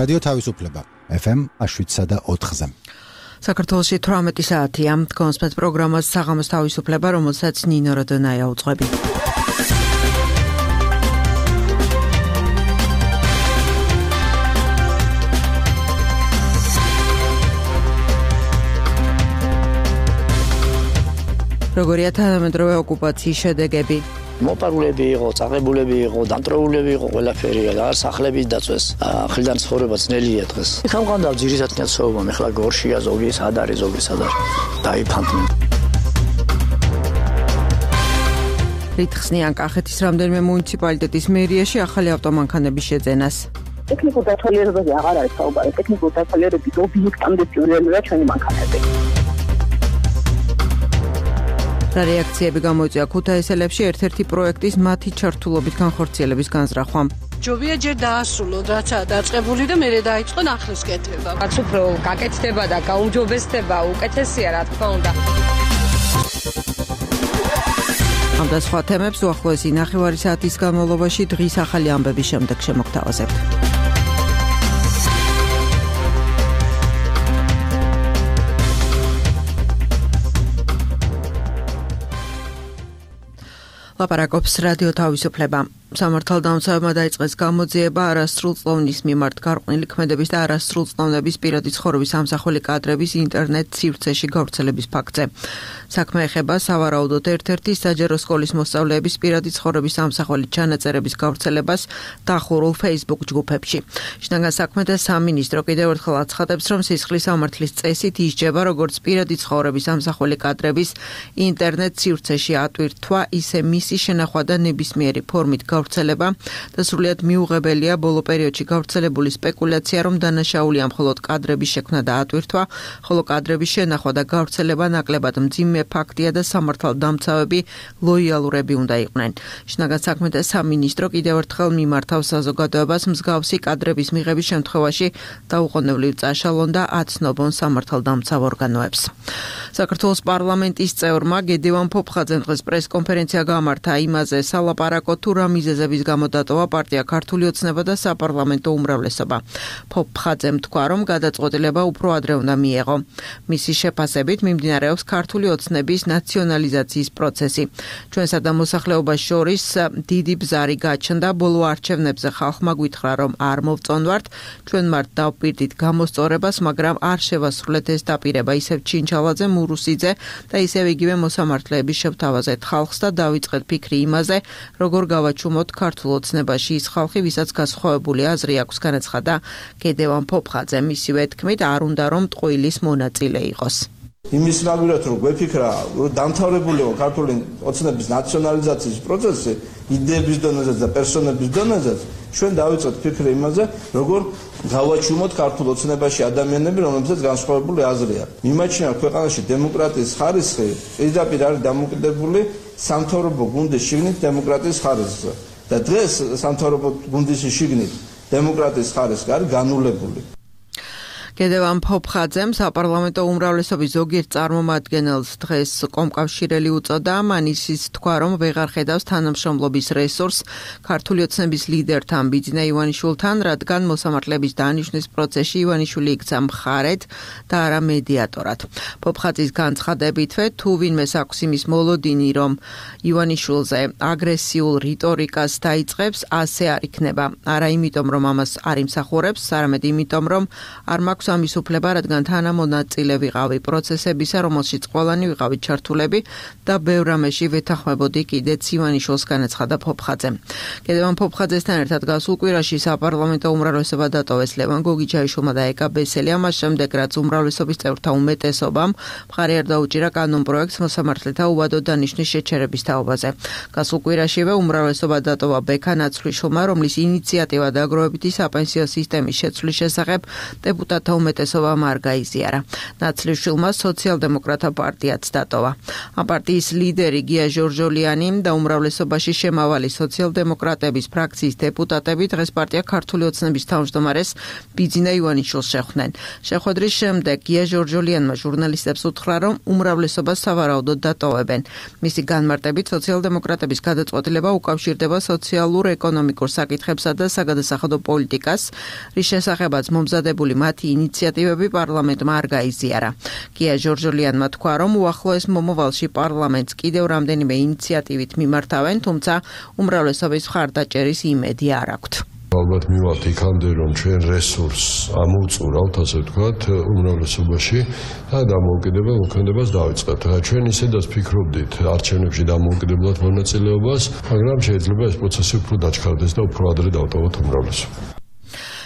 რადიო თავისუფლება FM 7.4-ზე. საქართველოში 18 საათია. თქვენ სპეც პროგრამას საღამოს თავისუფლება, რომელსაც ნინო როდონაია უძღვები. როგორია თანამედროვე ოკუპაციის შედეგები? მოპარულები იყო, წაღებულები იყო, დამტრეულები იყო, ყველაფერი და სახლების დაწვეს. ხილიდან ცხოვრება ძნელია დღეს. სამყარო ძირითადად ნაცხოვობა, ახლა გორშია, ზოგი სად არის, ზოგი სად არის. დაიფანტნენ. რითხსნიან კახეთის რამდენიმე მუნიციპალიტეტის მერიაში ახალი ავტომანქანების შეძენას. ტექნიკურ დათვალიერებაზე აღარ არის საუბარი. ტექნიკურ დათვალიერების ობიექტამდე სიუჟეტია ჩვენი მანქანები. რა რეაქციები გამოიწვია ქუთაისელებში ერთ-ერთი პროექტის მათი ჩართულობით განხორციელების განზრახვამ. ჯობია ჯერ დაასრულოთ, რაცა დაწყებული და მერე დაიწყო ახლის კეთება. რაც უფრო გაკეთდება და გაუმჯობესდება, უკეთესია რა თქმა უნდა. ამ და სხვა თემებს უახლოესი ნახევარი საათის განმავლობაში დღის ახალი ამბების შემდეგ შემოგთავაზებთ. ლაპარაკობს რადიო თავისუფლება. სამართალდამცავებმა დაიწყეს გამოძიება არასრულწლოვნის მიმართ გარყვნილი ქმედების და არასრულწლოვნების პირადი ცხოვრების ამსახველი კადრების ინტერნეტ სივრცეში გავრცელების ფაქტზე. საქმე ეხება სავარაუდოდ ერთ-ერთი საჯარო სკოლის მოსწავლეების პირადი ცხოვრების ამსახველი ჩანაწერების გავრცელებას დახურულ Facebook ჯგუფებში. შინაგან საქმეთა სამინისტრო კიდევ ერთხელ აცხადებს, რომ სისხლის სამართლის წესით ისჯება როგორც პირადი ცხოვრების ამსახველი კადრების ინტერნეტ სივრცეში ატვირთვა, ისე მისი შენახვა და ნებისმიერი ფორმით გავრცელება და სრულიად მიუღებელია ბოლო პერიოდში გავრცელებული სპეკულაცია, რომ დანაშაულია მხოლოდ კადრების შექმნა და ატვირთვა, ხოლო კადრების შენახვა და გავრცელება ნაკლებად მძიმე ფაქტია და სამართალდამცავები ლოიალურები უნდა იყვნენ. შინაგან საქმეთა სამინისტრო კიდევ ერთხელ მიმართავს საზოგადოებას მსგავსი კადრების მიღების შემთხვევაში დაუყოვნებლივ წაშალონ და აცნობონ სამართალდამცავ ორგანოებს. საქართველოს პარლამენტის წევრმა გედევან ფოფხაძემ დღეს პრესკონფერენცია გამართა იმაზე სალაპარაკო თუ რა მიზეზების გამო დატოვა პარტია ქართული ოცნება და საპარლამენტო უმრავლესობა. ფოფხაძემ თქვა, რომ გადაწყვეტილება უფრო ადრე უნდა მიეღო. მისი შეფასებით მიმდინარეობს ქართული ოცნების ნაციონალიზაციის პროცესი. ჩვენსა და მოსახლეობას შორის დიდი ბზარი გაჩნდა, ბოლო არჩევნებზე ხალხმა გვითხრა, რომ არ მოვწონვართ, ჩვენ მართ დავპირდით გამოსწორებას, მაგრამ არ შევასრულეთ ეს დაპირება, ისევ ჩინჩალაძე, მურუსიძე და ისევ იგივე მოსამართლეების შევთავაზეთ ხალხს და დავიწყეთ ფიქრი იმაზე, როგორ გავაჩუმოთ ქართულ ოცნებაში ის ხალხი, ვისაც გასხოვებული აზრი აქვს, განაცხადა გედევან ფოფხაძე. მისივე თქმით, არ უნდა რომ ტყუილის მონაწილე იყოს. იმის ნაგვირად რომ გვეფიქრა, რომ დამთავრებულიო ქართული ოცნების ნაციონალიზაციის პროცესი იდეების დონეზე და პერსონების დონეზე, ჩვენ დავიწყეთ ფიქრი იმაზე, როგორ გავაჩუმოთ ქართულ ოცნებაში ადამიანები, რომლებსაც განსხვავებული აზრი აქვს. მიმაჩნია ქვეყანაში დემოკრატიის ხარისხი პირდაპირ არის დამოკიდებული სამთავრობო გუნდის შიგნით დემოკრატიის ხარისხზე. და დღეს სამთავრობო გუნდის შიგნით დემოკრატიის ხარისხი არის განულებული. გედევან ფოფხაძემ საპარლამენტო უმრავლესობის ზოგიერთ წარმომადგენელს დღეს კომკავშირელი უწოდა. მან ისიც თქვა, რომ ვეღარ ხედავს თანამშრომლობის რესურსს ქართული ოცნების ლიდერთან ბიძინა ივანიშვილთან, რადგან მოსამართლეების დანიშვნის პროცესში ივანიშვილი იქცა მხარედ და არა მედიატორად. ფოფხაძის განცხადებითვე, თუ ვინმეს აქვს იმის მოლოდინი, რომ ივანიშვილზე აგრესიულ რიტორიკას დაიწყებს, ასე არ იქნება. არა იმიტომ, რომ ამას არ იმსახურებს, არამედ იმიტომ, რომ არ მაქვს ამის უფლება, რადგან თანამონაწილე ვიყავი პროცესებისა, რომელშიც ყველანი ვიყავით ჩართულები და ბევრ რამეში ვეთანხმებოდი კიდეც ივანიშვილს, განაცხადა ფოფხაძემ. გედევან ფოფხაძესთან ერთად გასულ კვირაში საპარლამენტო უმრავლესობა დატოვეს ლევან გოგიჩაიშვილმა და ეკა ბესელია, მას შემდეგ რაც უმრავლესობის წევრთა უმეტესობამ მხარი არ დაუჭირა კანონპროექტს მოსამართლეთა უვადო დანიშვნის შეჩერების თაობაზე. გასულ კვირაშივე უმრავლესობა დატოვა ბექა ნაცვლიშვილმა, რომლის ინიციატივა დაგროვებითი საპენსიო სისტემის შეცვლის შესახებ დეპუტატთა უმეტესობამ არ გაიზიარა. ნაცვლიშვილმა სოციალ-დემოკრატთა პარტიაც დატოვა. ამ პარტიის ლიდერი გია ჟორჟოლიანი და უმრავლესობაში შემავალი სოციალ-დემოკრატების ფრაქციის დეპუტატები დღეს პარტია ქართული ოცნების თავმჯდომარეს ბიძინა ივანიშვილს შეხვდნენ. შეხვედრის შემდეგ გია ჟორჟოლიანმა ჟურნალისტებს უთხრა, რომ უმრავლესობას სავარაუდოდ დატოვებენ. მისი განმარტებით სოციალ-დემოკრატების გადაწყვეტილება უკავშირდება სოციალურ-ეკონომიკურ საკითხებსა და საგადასახადო პოლიტიკას, რის შესახებაც მომზადებული მათი ინიციატივები პარლამენტმა არ გაიზიარა. გია ჟორჟოლიანმა თქვა, რომ უახლოეს მომავალში პარლამენტს კიდევ რამდენიმე ინიციატივით მიმართავენ, თუმცა უმრავლესობის მხარდაჭერის იმედი არ აქვთ. ალბათ მივავალთ იქამდე, რომ ჩვენ რესურსს ამოვწურავთ, ასე ვთქვათ, უმრავლესობაში და დამოუკიდებელ მოქმედებას დავიწყებთ. ჩვენ ისედაც ფიქრობდით არჩევნებში დამოუკიდებლად მონაწილეობას, მაგრამ შეიძლება ეს პროცესი უფრო დაჩქარდეს და უფრო ადრე დავტოვოთ უმრავლესობა.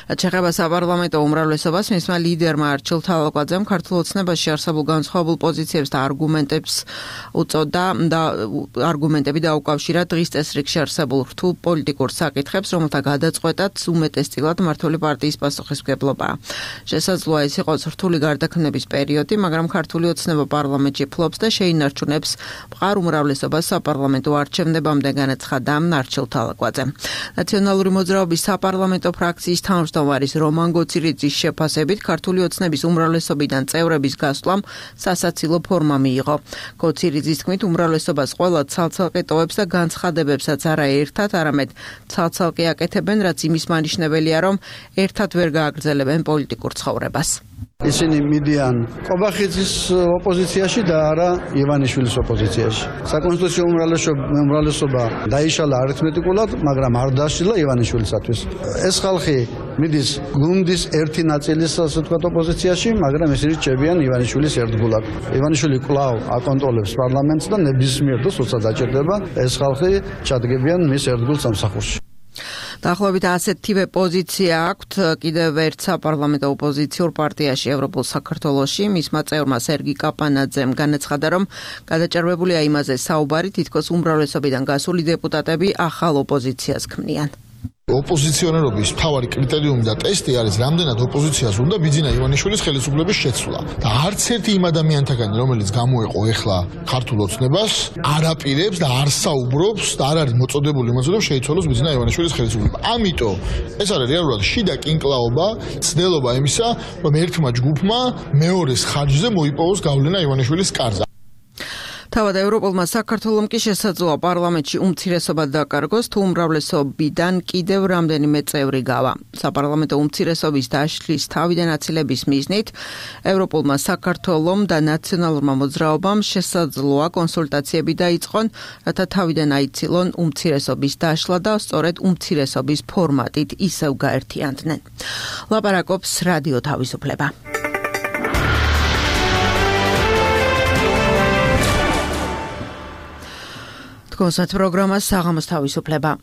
ჩეხება საპარლამენტო უმრავლესობას მისმა ლიდერმა არჩილ თალაკვაძემ ქართულ ოცნებაში არსებულ განსხვავებულ პოზიციებს და არგუმენტებს უწოდა და არგუმენტები დაუკავშირა დღის წესრიგში არსებულ რთულ პოლიტიკურ საკითხებს, რომელთა გადაწყვეტაც უმეტესწილად მმართველი პარტიის პასუხისმგებლობაა. შესაძლოა ეს იყოს რთული გარდაქმნების პერიოდი, მაგრამ ქართული ოცნება პარლამენტში ფლობს და შეინარჩუნებს მყარ უმრავლესობას საპარლამენტო არჩევნებამდე, განაცხადა არჩილ თალაკვაძემ. ნაციონალური მოძრაობის საპარლამენტო ფრაქციის თავმჯდომარის რომან გოცირიძის შეფასებით ქართული ოცნების უმრავლესობიდან წევრების გასვლამ სასაცილო ფორმა მიიღო. გოცირიძის თქმით, უმრავლესობას ყველა ცალ-ცალკე ტოვებს და განცხადებებსაც არა ერთად, არამედ ცალ-ცალკე აკეთებენ, რაც იმის მანიშნებელია, რომ ერთად ვერ გააგრძელებენ პოლიტიკურ ცხოვრებას. ისინი მიდიან ყობახიძის ოპოზიციაში და არა ივანიშვილის ოპოზიციაში. საკონსტიტუციო უმრავლესობა დაიშალა არითმეტიკულად, მაგრამ არ დასჯილა ივანიშვილისათვის. ეს ხალხი მიდის გუნდის ერთი ნაწილის, ასე ვთქვათ, ოპოზიციაში, მაგრამ ისინი რჩებიან ივანიშვილის ერთგულად. ივანიშვილი კვლავ აკონტროლებს პარლამენტს და ნებისმიერ დროს, როცა დაჭირდება, ეს ხალხი ჩადგებიან მის ერთგულ სამსახურში. დაახლოებით ასეთივე პოზიცია აქვთ კიდევ ერთ საპარლამენტო ოპოზიციურ პარტიაში ევროპულ საქართველოში. მისმა წევრმა სერგი კაპანაძემ განაცხადა, რომ გადაჭარბებულია იმაზე საუბარი, თითქოს უმრავლესობიდან გასული დეპუტატები ახალ ოპოზიციას ქმნიან. ოპოზიციონერობის მთავარი კრიტერიუმი და ტესტი არის რამდენად ოპოზიციას უნდა ბიძინა ივანიშვილის ხელისუფლების შეცვლა. და არც ერთი იმ ადამიანთაგანი, რომელიც გამოეყო ეხლა ქართულ ოცნებას, არ აპირებს და არ საუბრობს და არ არის მოწოდებული იმაზე, რომ შეიცვალოს ბიძინა ივანიშვილის ხელისუფლება. ამიტომ ეს არის რეალურად შიდა კინკლაობა, ცდელობა იმისა, რომ ერთმა ჯგუფმა მეორეს ხარჯზე მოიპოვოს გავლენა ივანიშვილის კარზე. თავად ევროპულმა საქართველომ კი შესაძლოა პარლამენტში უმცირესობა დაკარგოს, თუ უმრავლესობიდან კიდევ რამდენიმე წევრი გავა. საპარლამენტო უმცირესობის დაშლის თავიდან აცილების მიზნით ევროპულმა საქართველომ და ნაციონალურმა მოძრაობამ შესაძლოა კონსულტაციები დაიწყონ, რათა თავიდან აიცილონ უმცირესობის დაშლა და სწორედ უმცირესობის ფორმატით ისევ გაერთიანდნენ. ლაპარაკობს რადიო თავისუფლება. კონსერტ პროგრამა საღამოს თავისუფლება.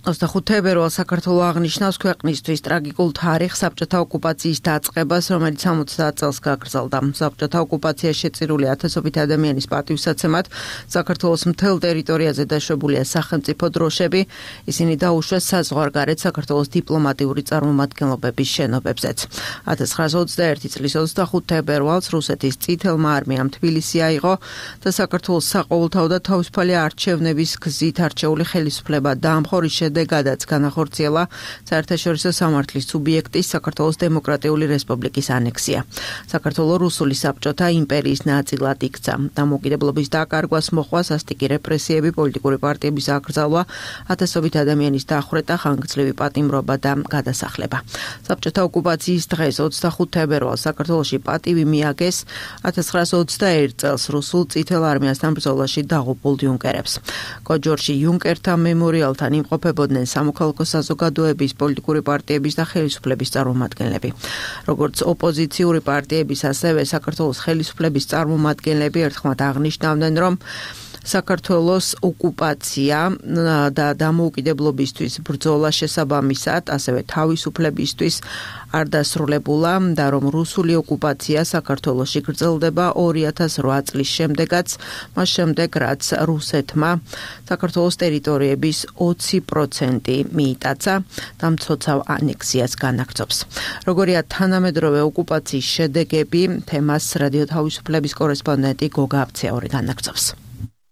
25 თებერვალს საქართველო აღნიშნავს ქვეყნისთვის ტრაგიკულ თარიღს საბჭოთა ოკუპაციის დაწყებას, რომელიც 70 წელს გაგრძელდა. საბჭოთა ოკუპაცია შეწირული ათასობით ადამიანის პატივსაცემად საქართველოს მთელ ტერიტორიაზე დაშვებულია სახელმწიფო დროშები. ისინი დაუშვეს საზღვარგარეთ საქართველოს დიპლომატიური წარმომადგენლობების შენობებზეც. 1921 წლის 25 თებერვალს რუსეთის წითელმა არმიამ თბილისი აიღო და საქართველოს საყოველთაო და თავისუფალი არჩევნების გზით არჩეული ხელისუფლება დაამხო, შედეგადაც განახორციელა საერთაშორისო სამართლის სუბიექტის საქართველოს დემოკრატიული რესპუბლიკის ანექსია. საქართველო რუსული საბჭოთა იმპერიის ნაწილად იქცა. დამოუკიდებლობის დაკარგვას მოჰყვა სასტიკი რეპრესიები, პოლიტიკური პარტიების აკრძალვა, ათასობით ადამიანის დახვრეტა, ხანგრძლივი პატიმრობა და გადასახლება. საბჭოთა ოკუპაციის დღეს 25 თებერვალს საქართველოში პატივი მიაგეს 1921 წელს რუსულ წითელ არმიასთან ბრძოლაში დაღუპულ იუნკერებს. კოჯორში იუნკერთა მემორიალთან იმყოფებოდნენ სამოქალაქო საზოგადოების, პოლიტიკური პარტიების და ხელისუფლების წარმომადგენლები. როგორც ოპოზიციური პარტიების, ასევე საქართველოს ხელისუფლების წარმომადგენლები ერთხმად აღნიშნავდნენ, რომ საქართველოს ოკუპაცია და დამოუკიდებლობისთვის ბრძოლა შესაბამისად, ასევე თავისუფლებისთვის არ დასრულებულა და რომ რუსული ოკუპაცია საქართველოში გრძელდება 2008 წლის შემდეგაც, მას შემდეგ რაც რუსეთმა საქართველოს ტერიტორიების 20% მიიტაცა და მცოცავ ანექსიას განაგრძობს. როგორია თანამედროვე ოკუპაციის შედეგები, თემას რადიო თავისუფლების კორესპონდენტი გოგა აბცეაური განაგრძობს.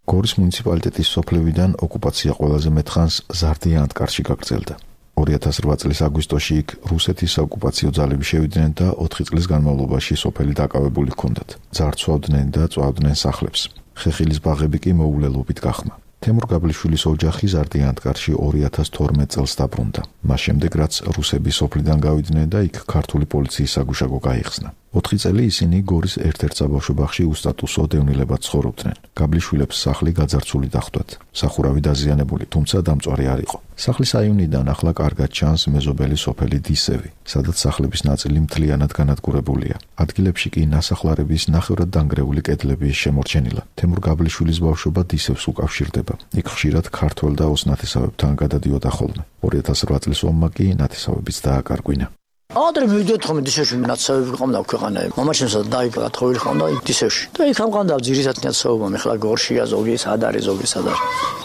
გორის მუნიციპალიტეტის სოფლებიდან ოკუპაცია ყველაზე მეტხანს ზარდია ანტკარში გაგრძელდა. 2008 წლის აგვისტოში იქ რუსეთის საოკუპაციო ძალები შევიდნენ და 4 წლის განმავლობაში სოფელი დაკავებული ჰქონდათ. ძარცვავდნენ და წვავდნენ სახლებს. ხეხილის ბაღები კი მოულელობით გახმა. თემურ გაბლიშვილის ოჯახი ზარდია ანტკარში 2012 წელს დაბრუნდა. მას შემდეგ რაც რუსები სოფლიდან გავიდნენ და იქ ქართული პოლიციის საგუშაგო გაიხსნა. 4 წელი ისინი გორის ერთ-ერთ საბავშვო ბაღში უსტატუსო დევნილებად ცხოვრობდნენ. გაბლიშვილებს სახლი გაძარცული დახვდათ. სახურავი დაზიანებული, თუმცა დამწვარი არ იყო. სახლის აივნიდან ახლა კარგად ჩანს მეზობელი სოფელი დისევი, სადაც სახლების ნაწილი მთლიანად განადგურებულია. ადგილებში კი ნასახლარების ნახევრად დანგრეული კედლები შემორჩენილა. თემურ გაბლიშვილის ბავშვობა დისევს უკავშირდება. იქ ხშირად ქართველ და ოსნათესავებთან გადადიოდა ხოლმე. 2008 წლის ომმა კი ნათესავებიც დააკარგვინა. Adre büyüdü tamam dişeş minatsa bir kamda kıqana. Mama çimsa dayı qatxoyl xanda dişeş. Dayı kamqanda ძირისად საუბა მეხლა გორშია ზოგი სადარი ზოგი სადარ.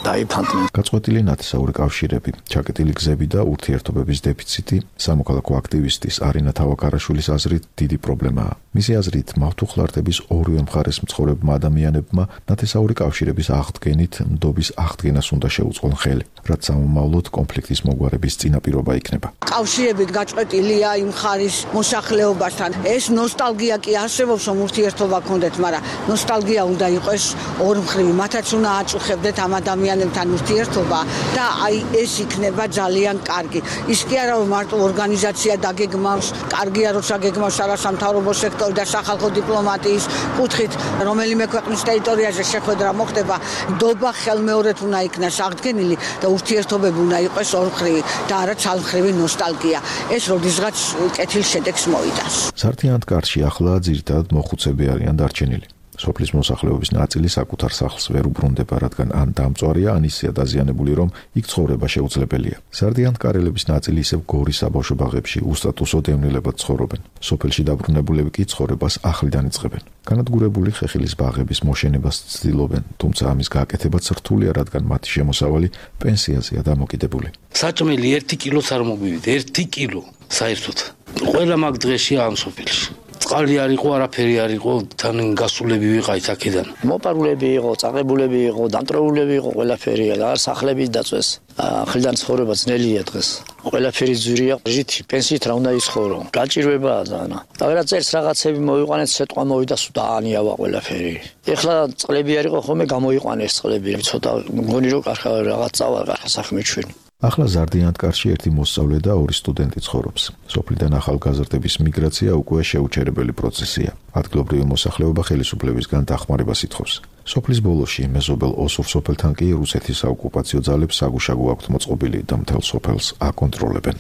Dayı ფანტმენ. გაწყვეტილი ნათესაური კავშირები, ჩაკეტილი გზები და ურთიერთობების დეფიციტი სამოქალაქო აქტივისტის არინა თავაკარაშვილის აზრით დიდი პრობლემაა. მისი აზრით მავთუხლარდების ორივე მხარეს მცხოვრებმა ადამიანებმა ნათესაური კავშირების აღდგენით ნდობის აღდგენას უნდა შეუწყონ ხელი, რაც სამომავლოდ კონფლიქტის მოგვარების წინაპირობა იქნება. კავშირები გაწყვეტილია იმ ხარის მოსახლეობასთან. ეს ნოსტალგია კი არსებობს, რომ ურთიერთობა გქონდეთ, მაგრამ ნოსტალგია უნდა იყოს ორმხრივი. მათაც უნდა აწუხებდეთ ამ ადამიანებთან ურთიერთობა და აი ეს იქნება ძალიან კარგი. ის კი არა რომ მარტო ორგანიზაცია დაგეგმავს, კარგია როცა გეგმავს არასამთავრობო სექტორი და სახალხო დიპლომატიის კუთხით, რომელიმე ქვეყნის ტერიტორიაზე შეხვედრა მოხდება, ნდობა ხელმეორედ უნდა იქნას აღდგენილი და ურთიერთობები უნდა იყოს ორმხრივი და არა ცალმხრივი ნოსტალგია. ეს როდისღაც კეთილ შედეგს მოიტანს. ზარდია ანტკარში ახლა ძირითადად მოხუცები არიან დარჩენილი. სოფლის მოსახლეობის ნაწილი საკუთარ სახლს ვერ უბრუნდება, რადგან ან დამწვარია, ან ისეა დაზიანებული, რომ იქ ცხოვრება შეუძლებელია. ზარდია ანტკარელების ნაწილი ისევ გორის საბავშვო ბაღებში უსტატუსო დევნილებად ცხოვრობენ. სოფელში დაბრუნებულები კი ცხოვრებას ახლიდან იწყებენ. განადგურებული ხეხილის ბაღების მოშენებას ცდილობენ, თუმცა ამის გაკეთებაც რთულია, რადგან მათი შემოსავალი პენსიაზეა დამოკიდებული. საჭმელი 1 კილოც არ მოგივიდა, 1 კილო საერთოდ. ყველა მაგ დღეშია ამ სოფელში. წყალი არ იყო, არაფერი არ იყო, თან გასულები ვიყავით აქედან. მოპარულები იყო, წაღებულები იყო, დამტრეულები იყო, ყველაფერია და სახლები დაწვეს. ახლიდან ცხოვრება ძნელია დღეს. ყველაფერი ძვირია, ჟითი, პენსიით რა უნდა იცხოვრო. გაჭირვებაა ძალიან. და ვერა წერს რაღაცები მოიყვანეთ, სიტყვა მოვიდა, დაანიავა ყველაფერი. ეხლა წყლები არ იყო ხოლმე გამოიყვანეს წყლები. ცოტა მგონი რომ კარგა რაღაც წავა, კარგა საქმე ჩვენი. ახლა ზარდია ანტკარში ერთი მოსწავლე და 2 სტუდენტი ცხოვრობს. სოფლიდან ახალგაზრდების მიგრაცია უკვე შეუჩერებელი პროცესია. ადგილობრივი მოსახლეობა ხელისუფლებისგან დახმარებას ითხოვს. სოფლის ბოლოში მეზობელ ოსურ სოფელთან კი რუსეთის საოკუპაციო ძალებს საგუშაგო აქვთ მოწყობილი და მთელ სოფელს აკონტროლებენ.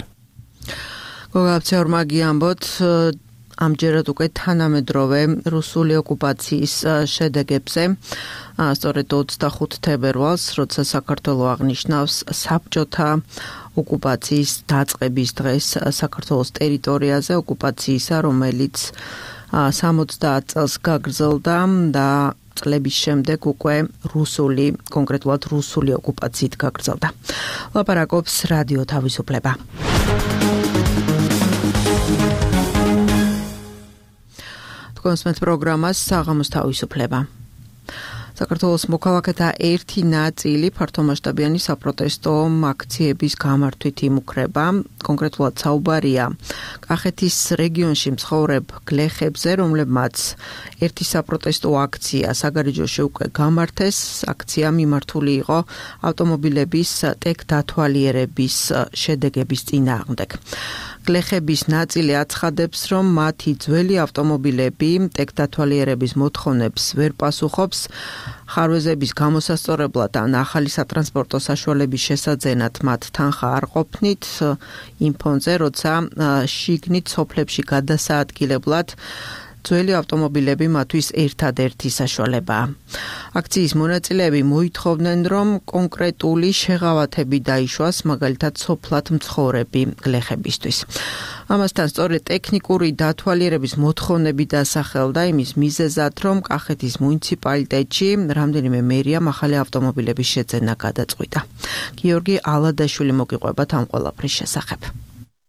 გოგაბცეორმა გიამბოთ ამჯერად უკვე თანამედროვე რუსული ოკუპაციის შედეგებზე. სწორედ 25 თებერვალს, როცა საქართველო აღნიშნავს საბჭოთა ოკუპაციის დაწყების დღეს საქართველოს ტერიტორიაზე, ოკუპაციისა, რომელიც 70 წელს გაგრძელდა და წლების შემდეგ უკვე რუსული, კონკრეტულად რუსული ოკუპაციით გაგრძელდა. ლაპარაკობს რადიო თავისუფლება. კონსმეთ პროგრამას საღამოს თავისუფლება. საქართველოს მოქალაქეთა ერთი ნაწილი ფართომასშტაბიანი საპროტესტო აქციების გამართვით იმუქრება. კონკრეტულად საუბარია კახეთის რეგიონში მცხოვრებ გლეხებზე, რომლებმაც ერთი საპროტესტო აქცია საგარეჯოში უკვე გამართეს. აქცია მიმართული იყო ავტომობილების ტექ დათვალიერების შედეგების წინააღმდეგ. გლეხების ნაწილი აცხადებს, რომ მათი ძველი ავტომობილები ტექ დათვალიერების მოთხოვნებს ვერ პასუხობს. ხარვეზების გამოსასწორებლად ან ახალი სატრანსპორტო საშუალების შესაძენად მათ თანხა არ ყოფნით იმ ფონზე, როცა შიგნით სოფლებში გადასაადგილებლად ძველი ავტომობილები მათთვის ერთადერთი საშუალებაა. აქციის მონაწილეები მოითხოვდნენ, რომ კონკრეტული შეღავათები დაიშვას, მაგალითად სოფლად მცხოვრები გლეხებისთვის. ამასთან სწორედ ტექნიკური დათვალიერების მოთხოვნები დასახელდა იმის მიზეზად, რომ კახეთის მუნიციპალიტეტში რამდენიმე მერიამ ახალი ავტომობილების შეძენა გადაწყვიტა. გიორგი ალადაშვილი მოგიყვება ამ ყველაფრის შესახებ.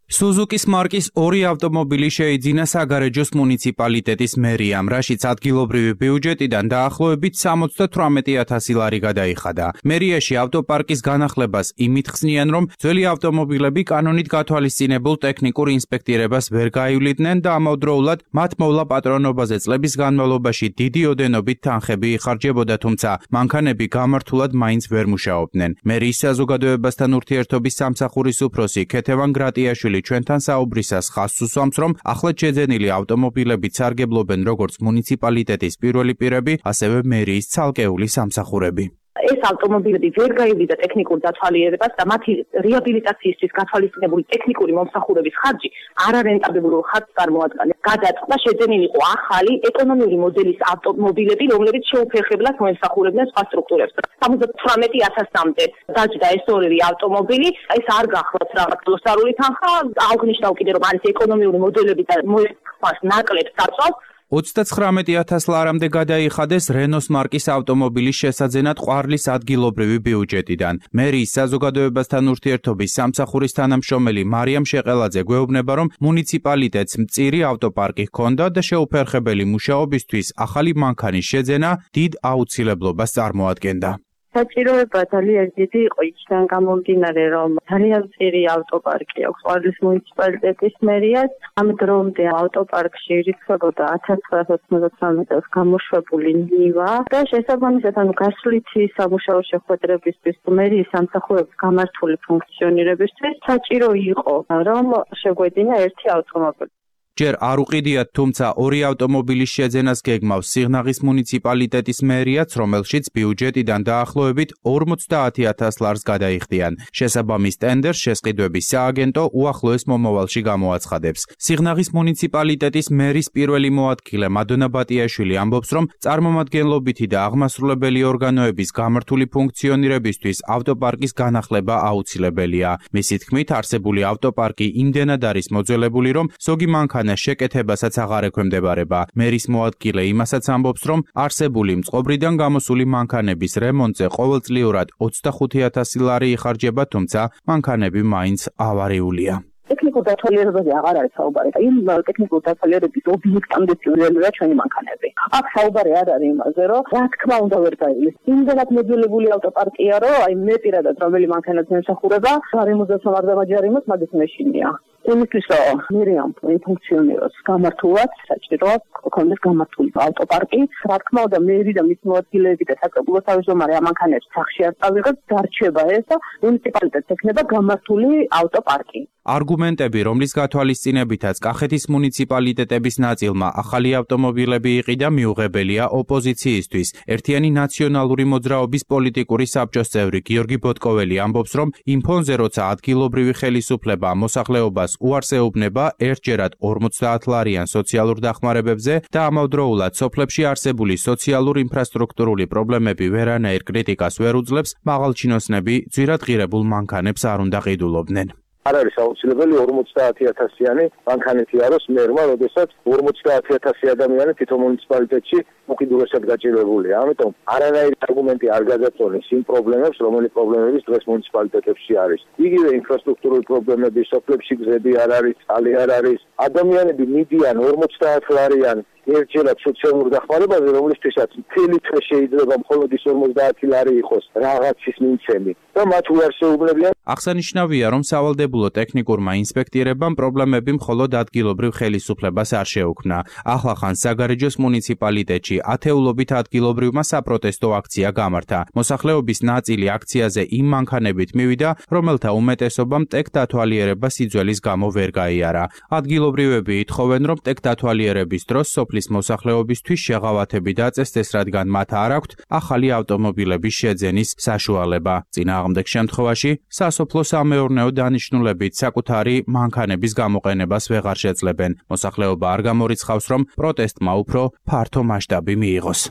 Suzuki-ს მარკის 2 ავტომობილი შეიძინა საგარეჯოს მუნიციპალიტეტის მერიამ, რაშიც ადგილობრივი ბიუჯეტიდან დაახლოებით 78,000 ლარი გადაიხადა. მერიაში ავტოპარკის განახლებას იმით ხსნიან, რომ ძველი ავტომობილები კანონით გათვალისწინებულ ტექნიკურ ინსპექტირებას ვერ გაივლიდნენ და ამავდროულად მათ მოვლა პატრონობაზე წლების განმავლობაში დიდი ოდენობით თანხები იხარჯებოდა, თუმცა მანქანები გამართულად მაინც ვერ მუშაობდნენ. მერიის საზოგადოებასთან ურთიერთობის სამსახურის უფროსი ქეთევან გრატიაშვილი ჩვენთან საუბრისას ხაზს უსვამს, რომ ახლად შეძენილი ავტომობილებით სარგებლობენ როგორც მუნიციპალიტეტის პირველი პირები, ასევე მერიის ცალკეული სამსახურები. ეს ავტომობილები ვერ გაივიდა ტექნიკურ დათვალიერებას და მათი რეაბილიტაციისთვის გათვალისწინებული ტექნიკური მომსახურების ხარჯი არარენტაბილურ ხარჯს წარმოადგენს. გადაწყდა შეძენილი იყო ახალი ეკონომიური მოდელის ავტომობილები, რომლებიც შეუფერხებლად მოემსახურებდნენ სხვა სტრუქტურებს. 78,000-მდე დაჯდა ეს ორი ავტომობილი, ეს არ გახლავთ რაღაც გლოსარული თანხა, აღნიშნავ კიდე რომ არის ეკონომიური მოდელები და მოიხსნას ნაკლებ საწვავს. 39,000 ლარამდე გადაიხადეს რენოს მარკის ავტომობილის შესაძენად ყვარლის ადგილობრივი ბიუჯეტიდან. მერიის საზოგადოებასთან ურთიერთობის სამსახურის თანამშრომელი მარიამ შეყელაძე გვეუბნება, რომ მუნიციპალიტეტს მწირი ავტოპარკი ჰქონდა და შეუფერხებელი მუშაობისთვის ახალი მანქანის შეძენა დიდ აუცილებლობას წარმოადგენდა. საჭიროება ძალიან დიდი იყო იქიდან გამომდინარე, რომ ძალიან მწირი ავტოპარკი აქვს ყვარლის მუნიციპალიტეტის მერიას. ამ დრომდე ავტოპარკში ირიცხებოდა 1993 წელს გამოშვებული ნივა და შესაბამისად გასვლითი სამუშაო შეხვედრებისთვის მერიის სამსახურების გამართული ფუნქციონირებისთვის საჭირო იყო, რომ შეგვედინა ერთი ავტომობილი. ჯერ არ უყიდიათ, თუმცა 2 ავტომობილის შეძენას გეგმავს სიღნაღის მუნიციპალიტეტის მერიაც, რომელშიც ბიუჯეტიდან დაახლოებით 50,000 ლარს გადაიხდიან. შესაბამის ტენდერს შესყიდვების სააგენტო უახლოეს მომავალში გამოაცხადებს. სიღნაღის მუნიციპალიტეტის მერის პირველი მოადგილე მადონა ბატიაშვილი ამბობს, რომ წარმომადგენლობითი და აღმასრულებელი ორგანოების გამართული ფუნქციონირებისთვის ავტოპარკის განახლება აუცილებელია. მისი თქმით, არსებული ავტოპარკი იმდენად არის მოძველებული, რომ ზოგი მანქანა შეკეთებასაც აღარ ექვემდებარება. მერის მოადგილე იმასაც ამბობს, რომ არსებული მწყობრიდან გამოსული მანქანების რემონტზე ყოველწლიურად 25,000 ლარი იხარჯება, თუმცა მანქანები მაინც ავარიულია. ტექნიკურ დათვალიერებაზე აღარ არის საუბარი. იმ ტექნიკურ დათვალიერების ობიექტამდე წივრელია ჩვენი მანქანები. აქ საუბარი არ არის იმაზე, რომ რა თქმა უნდა ვერ გაივლის. იმდენად მოძველებული ავტოპარკია, რომ აი მე პირადად რომელი მანქანაც მემსახურება, გარემოძაც არ დამაჯერიმოს, მაგის მეშინია. იმისთვის რომ მერიამ ფუნქციონიროს გამართულად, საჭიროა ქონდეს გამართული ავტოპარკი. რა თქმა უნდა, მერი და მის მოადგილეები და საკრებულო თავმჯდომარე ამ მანქანებს სახში არ წავიღებს, დარჩება ეს და მუნიციპალიტეტს ექნება გამართული ავტოპარკი. არგუმენტები, რომლის გათვალისწინებითაც კახეთის მუნიციპალიტეტების ნაწილმა ახალი ავტომობილები იყიდა, მიუღებელია ოპოზიციისთვის. ერთიანი ნაციონალური მოძრაობის პოლიტიკური საბჭოს წევრი გიორგი ბოტკოველი ამბობს, რომ იმ ფონზე, როცა ადგილობრივი ხელისუფლება მოსახლეობას უარს ეუბნება ერთჯერად 50 ლარიან სოციალურ დახმარებებზე და ამავდროულად სოფლებში არსებული სოციალურ ინფრასტრუქტურული პრობლემები ვერანაირ კრიტიკას ვერ უძლებს, მაღალჩინოსნები ძვირად ღირებულ მანქანებს არ უნდა ყიდულობდნენ. არ არის აუცილებელი 50,000-იანი მანქანეთი არის მერმა, როდესაც 50,000 ადამიანი თვითონ მუნიციპალიტეტში უკიდურესად გაჭირვებულია. ამიტომ არანაირი არგუმენტი არ გადაწონეს იმ პრობლემებს, რომელი პრობლემების დღეს მუნიციპალიტეტებში არის. იგივე ინფრასტრუქტურული პრობლემები, სოფლებში გზები არ არის, წყალი არ არის. ადამიანები მიდიან 50 ლარიან ერთჯერად სოციალურ დახმარებაზე, რომლისთვისაც მთელი თვე შეიძლება მხოლოდ ის 50 ლარი იყოს რაღაცის მიმცემი და მათ უარს ეუბნებიან. აღსანიშნავია, რომ სავალდებულო ტექნიკურმა ინსპექტირებამ პრობლემები მხოლოდ ადგილობრივ ხელისუფლებას არ შეუქმნა. ახლახან საგარეჯოს მუნიციპალიტეტში სოფელში ათეულობით ადგილობრივმა საპროტესტო აქცია გამართა. მოსახლეობის ნაწილი აქციაზე იმ მანქანებით მივიდა, რომელთა უმეტესობამ ტექ დათვალიერება სიძველის გამო ვერ გაიარა. ადგილობრივები ითხოვენ, რომ ტექ დათვალიერების დროს სოფლის მოსახლეობისთვის შეღავათები დაწესდეს, რადგან მათ არ აქვთ ახალი ავტომობილების შეძენის საშუალება. წინააღმდეგ შემთხვევაში სასოფლო-სამეურნეო დანიშნულებით საკუთარი მანქანების გამოყენებას ვეღარ შეძლებენ. მოსახლეობა არ გამორიცხავს, რომ პროტესტმა უფრო ფართო მასშტაბი მიიღოს.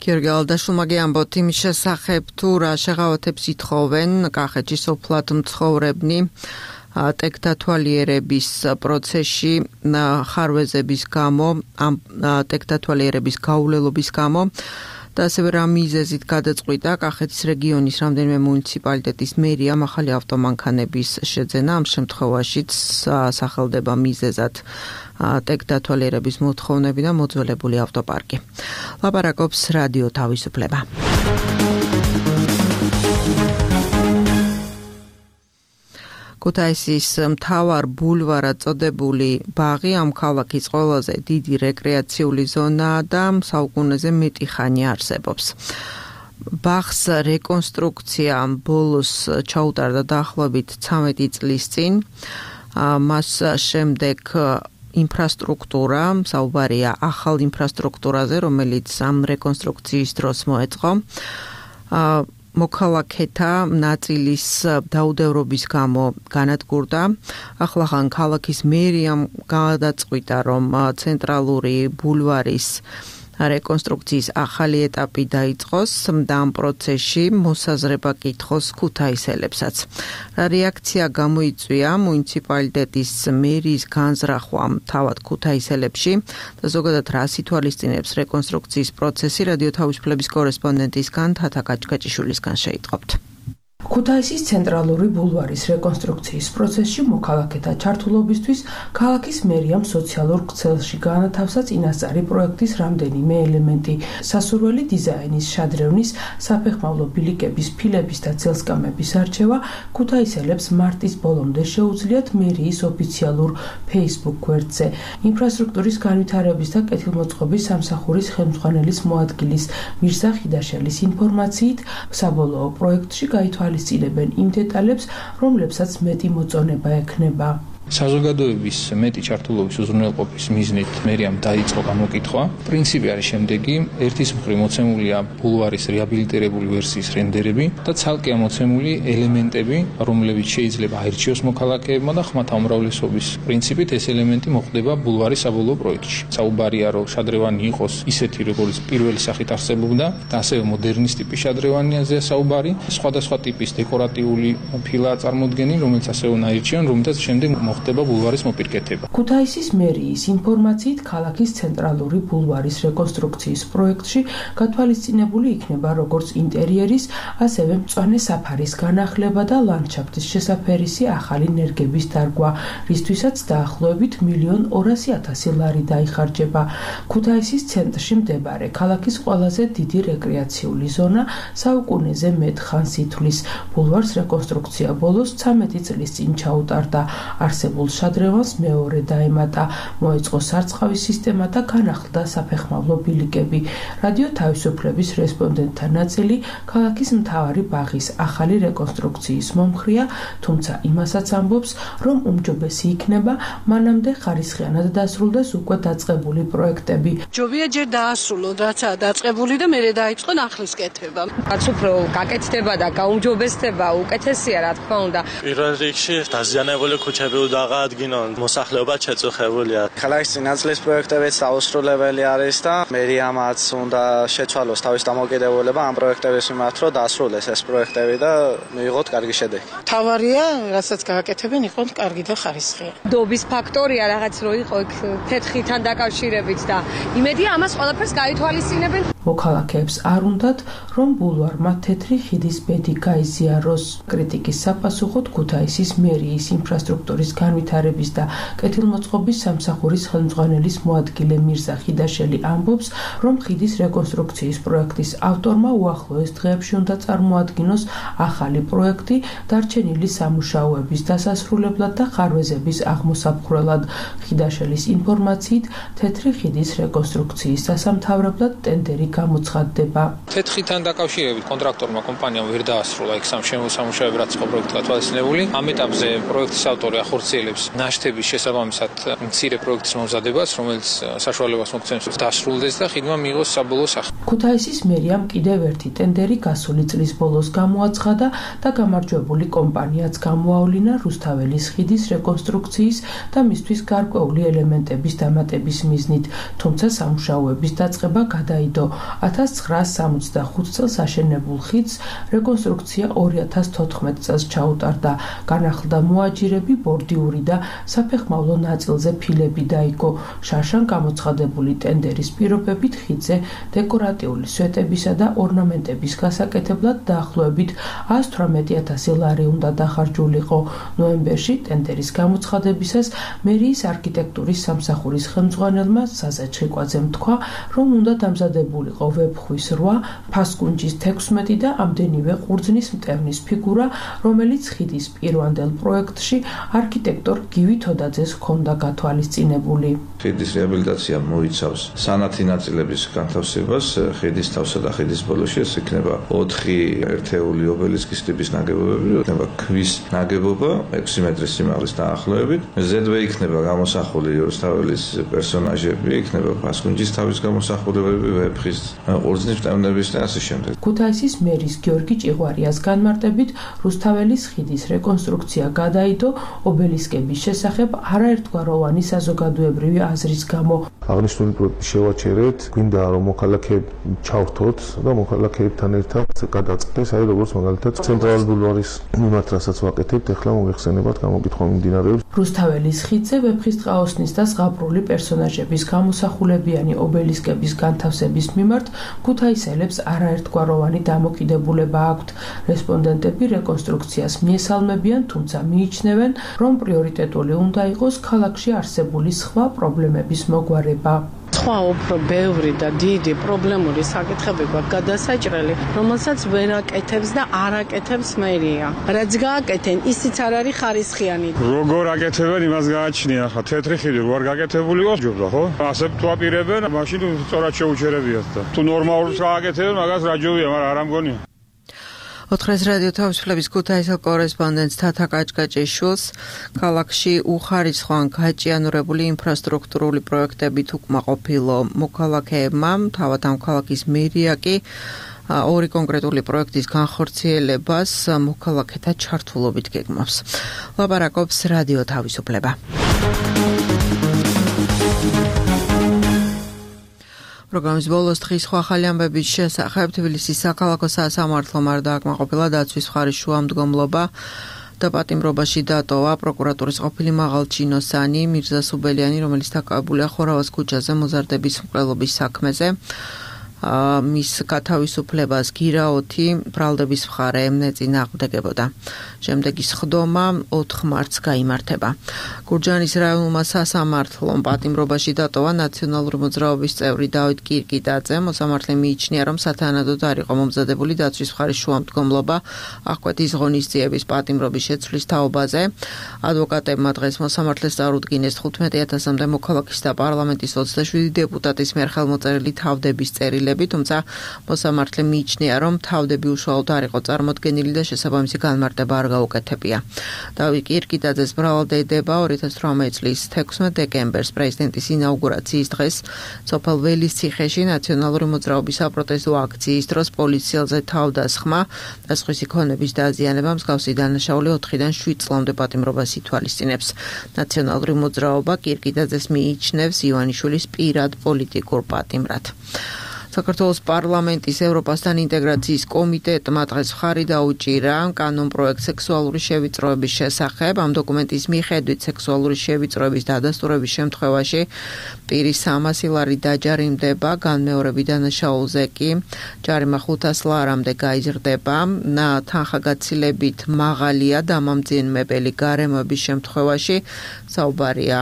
გიორგი ალდაშვილმა ამბობთ იმის შესახებ, თუ რა შეღავათებს ითხოვენ კახეთში სოფლად მცხოვრებნი ტექ დათვალიერების პროცესში ხარვეზების გამო, ამ ტექ დათვალიერების გაუვლელობის გამო და ასევე რა მიზეზით გადაწყვიტა კახეთის რეგიონის რამდენიმე მუნიციპალიტეტის მერიამ ახალი ავტომანქანების შეძენა. ამ შემთხვევაშიც სახელდება მიზეზად ტექ დათვალიერების მოთხოვნები და მოძველებული ავტოპარკი. ლაპარაკობს რადიო თავისუფლება. ქუთაისის მთავარ ბულვარად წოდებული ბაღი ამ ქალაქის ყველაზე დიდი რეკრეაციული ზონაა და საუკუნეზე მეტი ხანი არსებობს. ბაღს რეკონსტრუქცია ბოლოს ჩაუტარდა დაახლოებით 13 წლის წინ. მას შემდეგ ინფრასტრუქტურა, საუბარია ახალ ინფრასტრუქტურაზე, რომელიც ამ რეკონსტრუქციის დროს მოეწყო. მოქალაქეთა ნაწილის დაუდევრობის გამო განადგურდა. ახლახან ქალაქის მერიამ გადაწყვიტა, რომ ცენტრალური ბულვარის რეკონსტრუქციის ახალი ეტაპი დაიწყოს და ამ პროცესში მოსაზრება კითხოს ქუთაისელებსაც. რა რეაქცია გამოიწვია მუნიციპალიტეტის მერის განზრახვამ თავად ქუთაისელებში და ზოგადად რა ითვალისწინებს რეკონსტრუქციის პროცესი, რადიო თავისუფლების კორესპონდენტისგან თათა გაჭკაჭიშვილისგან შეიტყობთ. ქუთაისის ცენტრალური ბულვარის რეკონსტრუქციის პროცესში მოქალაქეთა ჩართულობისთვის ქალაქის მერიამ სოციალურ ქსელში გაანათავსა წინასწარი პროექტის რამდენიმე ელემენტი. სასურველი დიზაინის, შადრევნის, საფეხმავლო ბილიკების, ფილების და ძელსკამების არჩევა ქუთაისელებს მარტის ბოლომდე შეუძლიათ მერიის ოფიციალურ Facebook გვერდზე. ინფრასტრუქტურის განვითარების და კეთილმოწყობის სამსახურის ხელმძღვანელის მოადგილის მირზა ხიდაშელის ინფორმაციით, საბოლოო პროექტში გაითვალისწინებენ იმ დეტალებს, რომლებსაც მეტი მოწონება ექნება. საზოგადოების მეტი ჩართულობის უზრუნველყოფის მიზნით მერიამ დაიწყო გამოკითხვა. პრინციპი არის შემდეგი: ერთის მხრივ მოცემულია ბულვარის რეაბილიტირებული ვერსიის რენდერები და ცალკე ამოცემული ელემენტები, რომლებიც შეიძლება აირჩიოს მოქალაქეებმა და ხმათა უმრავლესობის პრინციპით ეს ელემენტი მოხდება ბულვარის საბოლოო პროექტში. საუბარია, რომ შადრევანი იყოს ისეთი, როგორც პირველი სახით არსებობდა და ასევე მოდერნის ტიპის შადრევანიაზეა საუბარი. სხვადასხვა ტიპის დეკორატიული ფილაა წარმოდგენილი, რომელიც ასევე უნდა აირჩიონ, რომელთაც შემდეგ ხდება ბულვარის მოპირკეთება. ქუთაისის მერიის ინფორმაციით, ქალაქის ცენტრალური ბულვარის რეკონსტრუქციის პროექტში გათვალისწინებული იქნება როგორც ინტერიერის, ასევე მწვანე საფარის განახლება და ლანდშაფტის შესაფერისი ახალი ნერგების დარგვა, რისთვისაც დაახლოებით 1,200,000 ლარი დაიხარჯება. ქუთაისის ცენტრში მდებარე ქალაქის ყველაზე დიდი რეკრეაციული ზონა საუკუნეზე მეტ ხანს ითვლის. ბულვარს რეკონსტრუქცია ბოლოს 13 წლის წინ ჩაუტარდა. არსებულ შადრევანს მეორე დაემატა, მოეწყო სარწყავის სისტემა და განახლდა საფეხმავლო ბილიკები. რადიო თავისუფლების რესპონდენტთა ნაწილი ქალაქის მთავარი ბაღის ახალი რეკონსტრუქციის მომხრეა, თუმცა იმასაც ამბობს, რომ უმჯობესი იქნება მანამდე ხარისხიანად დასრულდეს უკვე დაწყებული პროექტები. ჯობია ჯერ დაასრულოთ, რაცა დაწყებული და მერე დაიწყონ ახლის კეთება. რაც უფრო გაკეთდება და გაუმჯობესდება, უკეთესია, რა თქმა უნდა. პირველ რიგში დაზიანებული ქუჩები დააღადგინონ, მოსახლეობა შეწუხებულია. ქალაქის წინაწლის პროექტებიც დაუსრულებელი არის და მერიამაც უნდა შეცვალოს თავის დამოკიდებულება ამ პროექტების მიმართ, რომ დაასრულეს ეს პროექტები და მიიღოთ კარგი შედეგი. თავარია, რასაც გააკეთებენ, იყოს კარგი და ხარისხიანი. დობის ფაქტორია რაღაც რო იყო იქ თეთხიდან დაკავშირებით და იმედია ამას ყველაფერს გაითვალისწინებენ. მოქალაქეებს არ უნდათ, რომ ბულვარმა თეთრი ხიდის ბედი გაიზიაროს. კრიტიკის საპასუხოდ ქუთაისის მერიის ინფრასტრუქტურის განვითარების და კეთილმოწყობის სამსახურის ხელმძღვანელის მოადგილე მირზა ხიდაშელი ამბობს, რომ ხიდის რეკონსტრუქციის პროექტის ავტორმა უახლოეს დღეებში უნდა წარმოადგინოს ახალი პროექტი დარჩენილი სამუშაოების დასასრულებლად და ხარვეზების აღმოსაფხვრელად. ხიდაშელის ინფორმაციით, თეთრი ხიდის რეკონსტრუქციის დასამთავრებლად ტენდერი გამოცხადდება. თეთრთან დაკავშირებით კონტრაქტორმა კომპანიამ ვერ დაასრულა იქ სამუშაოები, რაც იყო პროექტად თვალისწინებული. ამ ეტაპზე პროექტის ავტორი ახორციელებს ნაშთების შესაბამისად მცირე პროექტის მომზადებას, რომელიც საშუალებას მოგცემს დასრულდეს და ხიდმა მიიღოს საბოლოო სახე. ქუთაისის მერიამ კიდევ ერთი ტენდერი გასული წლის ბოლოს გამოაცხადა და გამარჯვებული კომპანიაც გამოავლინა რუსთაველის ხიდის რეკონსტრუქციის და მისთვის გარკვეული ელემენტების დამატების მიზნით, თუმცა სამუშაოების დაწყება გადაიდო. 1965 წელს აშენებულ ხიდს რეკონსტრუქცია 2014 წელს ჩაუტარდა. განახლდა მოაჯირები, ბორდიური და საფეხმავლო ნაწილზე ფილები დაიგო. შარშან გამოცხადებული ტენდერის პირობებით ხიდზე დეკორატიული სვეტებისა და ორნამენტების გასაკეთებლად დაახლოებით 118,000 ლარი უნდა დახარჯულიყო. ნოემბერში ტენდერის გამოცხადებისას მერიის არქიტექტურის სამსახურის ხელმძღვანელმა საზა ჩხიკვაძემ თქვა, რომ უნდა დამზადებულიყო ვეფხვის 8, ფასკუნჯის 16 და ამდენივე ყურძნის მტევნის ფიგურა, რომელიც ხიდის პირვანდელ პროექტში არქიტექტორ გივი თოდაძეს ჰქონდა გათვალისწინებული. ხიდის რეაბილიტაცია მოიცავს სანათი ნაწილების განთავსებას, ხიდის თავსა და ხიდის ბოლოში ეს იქნება 4 ერთეული ობელისკის ტიპის ნაგებობები, იქნება ქვის ნაგებობა 6 მეტრის სიმაღლის დაახლოებით. ზედვე იქნება გამოსახული რუსთაველის პერსონაჟები, იქნება ფასკუნჯის თავის გამოსახულებები, ვეფხის ყურძნის მტევნების და ასე შემდეგ. ქუთაისის მერის გიორგი ჭიღვარიას განმარტებით, რუსთაველის ხიდის რეკონსტრუქცია გადაიდო ობელისკების შესახებ არაერთგვაროვანი საზოგადოებრივი აზრის გამო. აღნიშნული პროექტი შევაჩერეთ, გვინდა რომ მოქალაქეები ჩავრთოთ და მოქალაქეებთან ერთად გადაწყდეს, აი როგორც მაგალითად ცენტრალური ბულვარის მიმართ, რასაც ვაკეთებთ, ახლა მოიხსენებათ გამოკითხვა მიმდინარეობს. რუსთაველის ხიდზე ვეფხისტყაოსნის და ზღაპრული პერსონაჟების გამოსახულებიანი ობელისკების განთავსების მიმართ ქუთაისელებს არაერთგვაროვანი დამოკიდებულება აქვთ. რესპონდენტები რეკონსტრუქციას მიესალმებიან, თუმცა მიიჩნევენ, რომ პრიორიტეტული უნდა იყოს ქალაქში არსებული სხვა პრობლემების მოგვარება. სხვა უფრო ბევრი და დიდი პრობლემური საკითხები გვაქვს გადასაჭრელი, რომელსაც ვერ აკეთებს და არ აკეთებს მერია. რაც გააკეთენ, ისიც არ არის ხარისხიანი. როგორ აკეთებენ, იმას გააჩნია ხა თეთრი ხიდი რო არ გაკეთებული იყოს, ჯობდა ხო? ასე თუ აპირებენ, მაშინ სწორად შეუჩერებიათ და თუ ნორმალურს გააკეთებენ, მაგას რა ჯობია, მაგრამ არ ამგონია. ოთხრეს რადიო თავისუფლების ქუთაისელ კორესპონდენტს თათა კაჭკაჭიშვილს ქალაქში უხარისხიან გაჭიანურებული ინფრასტრუქტურული პროექტებით უკმაყოფილო მოქალაქეებმა, თავად ამ ქალაქის მერია კი ორი კონკრეტული პროექტის განხორციელებას მოქალაქეთა ჩართულობით გეგმავს. ლაპარაკობს რადიო თავისუფლება. პროგრამის ბოლოს დღის სხვა ახალი ამბების შესახებ თბილისის საქალაქო სასამართლომ არ დააკმაყოფილა დაცვის მხარის შუამდგომლობა და პატიმრობაში დატოვა პროკურატურის ყოფილი მაღალჩინოსანი მირზა სუბელიანი, რომელიც დაკავებულია ხორავას ქუჩაზე მოზარდების მკვლელობის საქმეზე. მის გათავისუფლებას გირაოთი ბრალდების მხარე ეწინააღმდეგებოდა. შემდეგი სხდომა 4 მარტს გაიმართება. გურჯაანის რაიონულმა სასამართლომ პატიმრობაში დატოვა ნაციონალური მოძრაობის წევრი დავით კირკიტაძე. მოსამართლე მიიჩნია, რომ სათანადოდ არ იყო მომზადებული დაცვის მხარის შუამდგომლობა აღკვეთის ღონისძიების პატიმრობის შეცვლის თაობაზე. ადვოკატებმა დღეს მოსამართლეს წარუდგინეს 15,000-მდე მოქალაქის და პარლამენტის 27 დეპუტატის მიერ ხელმოწერილი თავდების წერილი, თუმცა მოსამართლე მიიჩნია, რომ თავდები უშუალოდ არ იყო წარმოდგენილი და შესაბამისი განმარტება არ გაუკეთებია. დავით კირკიტაძეს ბრალდება 2018 წლის 16 დეკემბერს პრეზიდენტის ინაუგურაციის დღეს სოფელ ველისციხეში ნაციონალური მოძრაობის საპროტესტო აქციის დროს პოლიციელზე თავდასხმა და სხვისი ქონების დაზიანება მსგავსი დანაშაული 4-დან 7 წლამდე პატიმრობას ითვალისწინებს. ნაციონალური მოძრაობა კირკიტაძეს მიიჩნევს ივანიშვილის პირად პოლიტიკურ პატიმრად. საქართველოს პარლამენტის ევროპასთან ინტეგრაციის კომიტეტმა დღეს მხარი დაუჭირა კანონპროექტ სექსუალური შევიწროების შესახებ. ამ დოკუმენტის მიხედვით სექსუალური შევიწროების დადასტურების შემთხვევაში პირის 300 ლარი დაჯარიმდება, განმეორებით დანაშაულზე კი ჯარიმა 500 ლარამდე გაიზრდება. თანხაგაცილებით მაღალია დამამძიმებელი გარემოების შემთხვევაში, საუბარია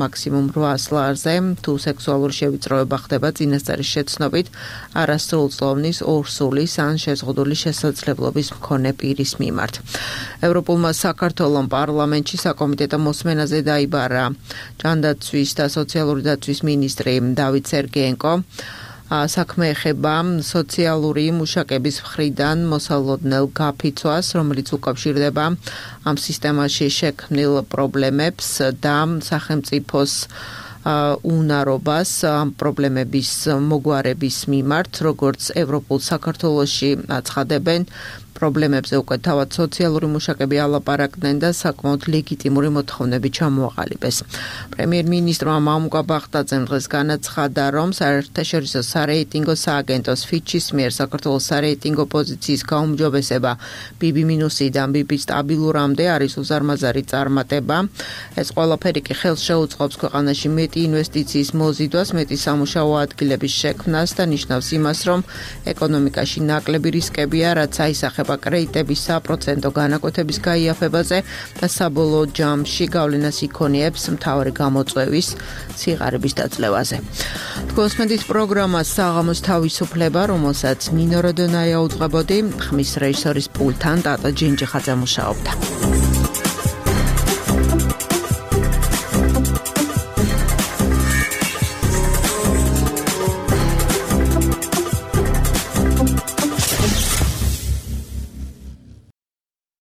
მაქსიმუმ 800 ლარზე, თუ სექსუალური შევიწროება ხდება წინასწარი შეცნობით არასრულწლოვნის, ორსულის ან შეზღუდული შესაძლებლობის მქონე პირის მიმართ. ევროპულმა საქართველოს პარლამენტში საკომიტეტო მოსმენაზე დაიბარა ჯანდაცვის და სოციალური დაცვის მინისტრი დავით სერგეენკო. საქმე ეხება სოციალური მუშაკების მხრიდან მოსალოდნელ გაფიცვას, რომელიც უკავშირდება ამ სისტემაში შექმნილ პრობლემებს და სახელმწიფოს უნარობას ამ პრობლემების მოგვარების მიმართ, როგორც ევროპულ საქართველოში აცხადებენ, პრობლემებზე უკვე თავად სოციალური მუშაკები ალაპარაკდნენ და საკმაოდ ლეგიტიმური მოთხოვნები ჩამოაყალიბეს. პრემიერ-მინისტრმა მამუკა ბახტაძემ დღეს განაცხადა, რომ საერთაშორისო სარეიტინგო სააგენტოს ფიჩის მიერ საქართველოს სარეიტინგო პოზიციის გაუმჯობესება BB-დან BB სტაბილურამდე არის უზარმაზარი წარმატება. ეს ყველაფერი კი ხელს შეუწყობს ქვეყანაში მეტი ინვესტიციის მოზიდვას, მეტი სამუშაო ადგილების შექმნას და ნიშნავს იმას, რომ ეკონომიკაში ნაკლები რისკებია, რაც აისახება კრედიტების საპროცენტო განაკვეთების გაიაფებაზე და საბოლოო ჯამში გავლენას იქონიებს მთავარი გამოწვევის სიღარიბის დაძლევაზე. თქვენს პროგრამა საღამოს თავისუფლება, რომელსაც ნინო როდონაია უძღვებოდი, ხმის რეჟისორის პულტთან ტატო ჯინჯიხაძე მუშაობდა.